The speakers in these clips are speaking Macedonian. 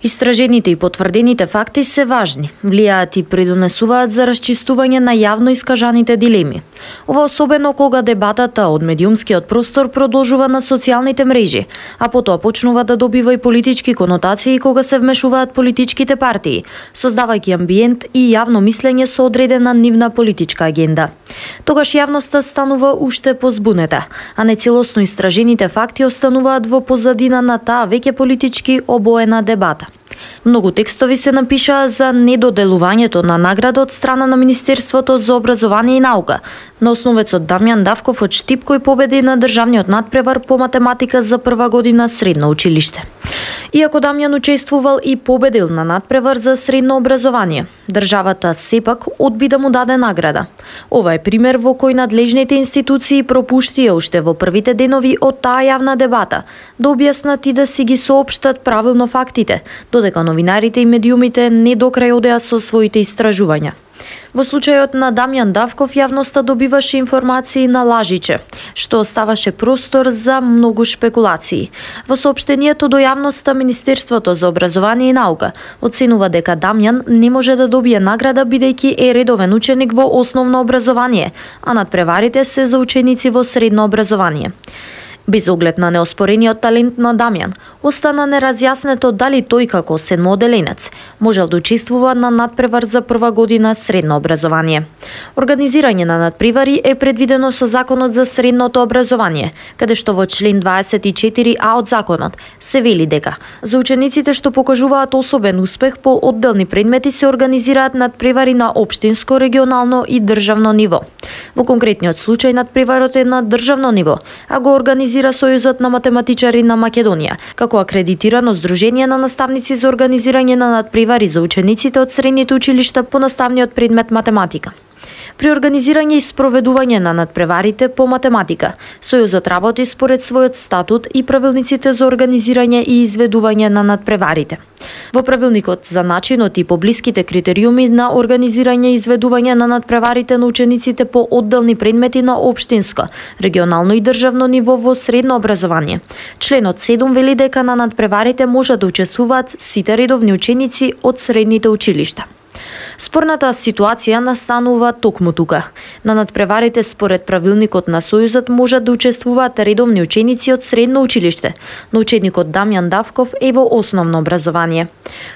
Истражените и потврдените факти се важни, влијаат и придонесуваат за расчистување на јавно искажаните дилеми. Ова особено кога дебатата од медиумскиот простор продолжува на социјалните мрежи, а потоа почнува да добива и политички конотации кога се вмешуваат политичките партии, создавајќи амбиент и јавно мислење со одредена нивна политичка агенда. Тогаш јавноста станува уште позбунета, а нецелосно истражените факти остануваат во позадина на таа веќе политички обоена дебата. Многу текстови се напишаа за недоделувањето на награда од страна на Министерството за образование и наука, на основецот Дамјан Давков од Штип кој победи на државниот надпревар по математика за прва година средно училиште. Иако Дамјан учествувал и победил на надпревар за средно образование, државата сепак одби да му даде награда. Ова е пример во кој надлежните институции пропуштија уште во првите денови од таа јавна дебата да објаснат и да си ги соопштат правилно фактите, додека новинарите и медиумите не докрај одеа со своите истражувања. Во случајот на Дамјан Давков јавноста добиваше информации на лажиче, што оставаше простор за многу шпекулации. Во соопштението до јавноста Министерството за образование и наука оценува дека Дамјан не може да добие награда бидејќи е редовен ученик во основно образование, а надпреварите се за ученици во средно образование. Без оглед на неоспорениот талент на Дамјан, остана неразјаснето дали тој како седмооделенец можел да учествува на надпревар за прва година средно образование. Организирање на надпревари е предвидено со Законот за средното образование, каде што во член 24а од законот се вели дека за учениците што покажуваат особен успех по одделни предмети се организираат надпревари на општинско, регионално и државно ниво. Во конкретниот случај надпреварот е на државно ниво, а го организира Сојузот на математичари на Македонија, како акредитирано здружение на наставници за организирање на надпревари за учениците од средните училишта по наставниот предмет математика. При организирање и спроведување на надпреварите по математика, Сојузот работи според својот статут и правилниците за организирање и изведување на надпреварите. Во правилникот за начинот и поблиските критериуми на организирање и изведување на надпреварите на учениците по одделни предмети на општинско, регионално и државно ниво во средно образование, членот 7 вели дека на надпреварите може да учествуваат сите редовни ученици од средните училишта. Спорната ситуација настанува токму тука. На надпреварите според правилникот на Сојузот можат да учествуваат редовни ученици од средно училиште, но ученикот Дамјан Давков е во основно образование.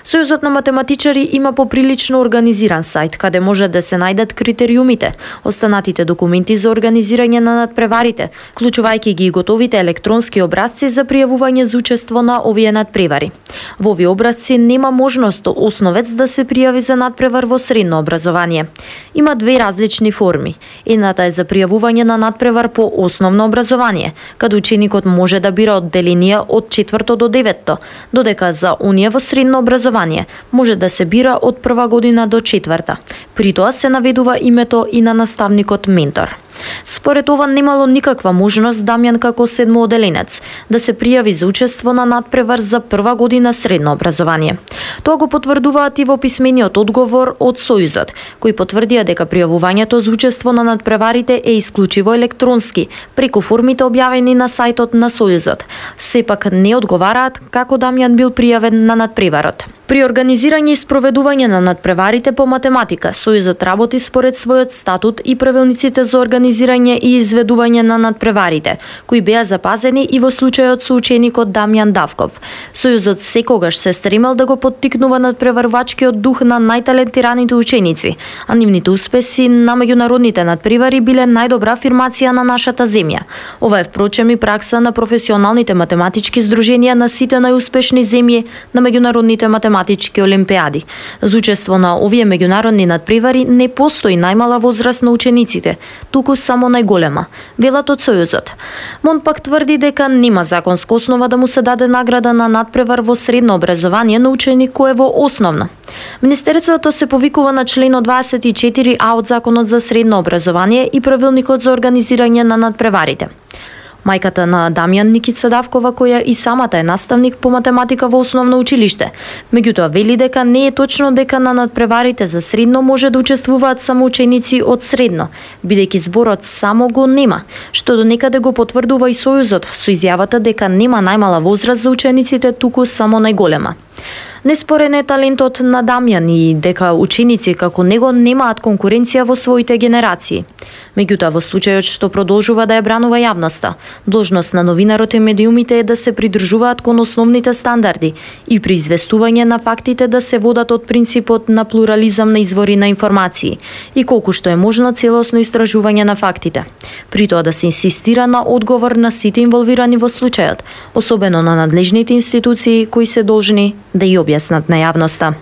Сојузот на математичари има поприлично организиран сајт каде може да се најдат критериумите, останатите документи за организирање на надпреварите, вклучувајќи ги и готовите електронски образци за пријавување за учество на овие надпревари. Во овие образци нема можност основец да се пријави за надпревар во средно образование. Има две различни форми. Едната е за пријавување на надпревар по основно образование, каде ученикот може да бира одделенија од 4 до 9, додека за оние во средно образование може да се бира од прва година до 4. При тоа се наведува името и на наставникот ментор. Според ова немало никаква можност Дамјан како седмооделенец да се пријави за учество на надпревар за прва година средно образование. Тоа го потврдуваат и во писмениот одговор од Сојузот, кој потврдија дека пријавувањето за учество на надпреварите е исклучиво електронски, преку формите објавени на сајтот на Сојузот. Сепак не одговараат како Дамјан бил пријавен на надпреварот. При организирање и спроведување на надпреварите по математика, Сојузот работи според својот статут и правилниците за организирање и изведување на надпреварите, кои беа запазени и во случајот со ученикот Дамјан Давков. Сојузот секогаш се стремел да го поттикнува надпреварвачкиот дух на најталентираните ученици, а нивните успеси на меѓународните надпревари биле најдобра афирмација на нашата земја. Ова е впрочем и пракса на професионалните математички здруженија на сите најуспешни земји на меѓународните математички олимпиади. За учество на овие меѓународни надпревари не постои најмала возраст на учениците, туку само најголема, велат од Сојузот. МОН пак тврди дека нема законска основа да му се даде награда на надпревар во средно образование на ученик кој е во основно. Министерството се повикува на членот 24а од Законот за средно образование и правилникот за организирање на надпреварите. Мајката на Дамјан, Никица Давкова, која и самата е наставник по математика во основно училиште, меѓутоа вели дека не е точно дека на надпреварите за средно може да учествуваат само ученици од средно, бидејќи зборот само го нема, што до некаде го потврдува и Сојузот со изјавата дека нема најмала возраст за учениците, туку само најголема. Неспорен е талентот на Дамјан и дека ученици како него немаат конкуренција во своите генерации. Меѓутоа, во случајот што продолжува да ја бранува јавноста, должност на новинарот и медиумите е да се придржуваат кон основните стандарди и при известување на фактите да се водат од принципот на плурализам на извори на информации и колку што е можно целосно истражување на фактите. При тоа да се инсистира на одговор на сите инволвирани во случајот, особено на надлежните институции кои се должни да ја објаснат на јавноста.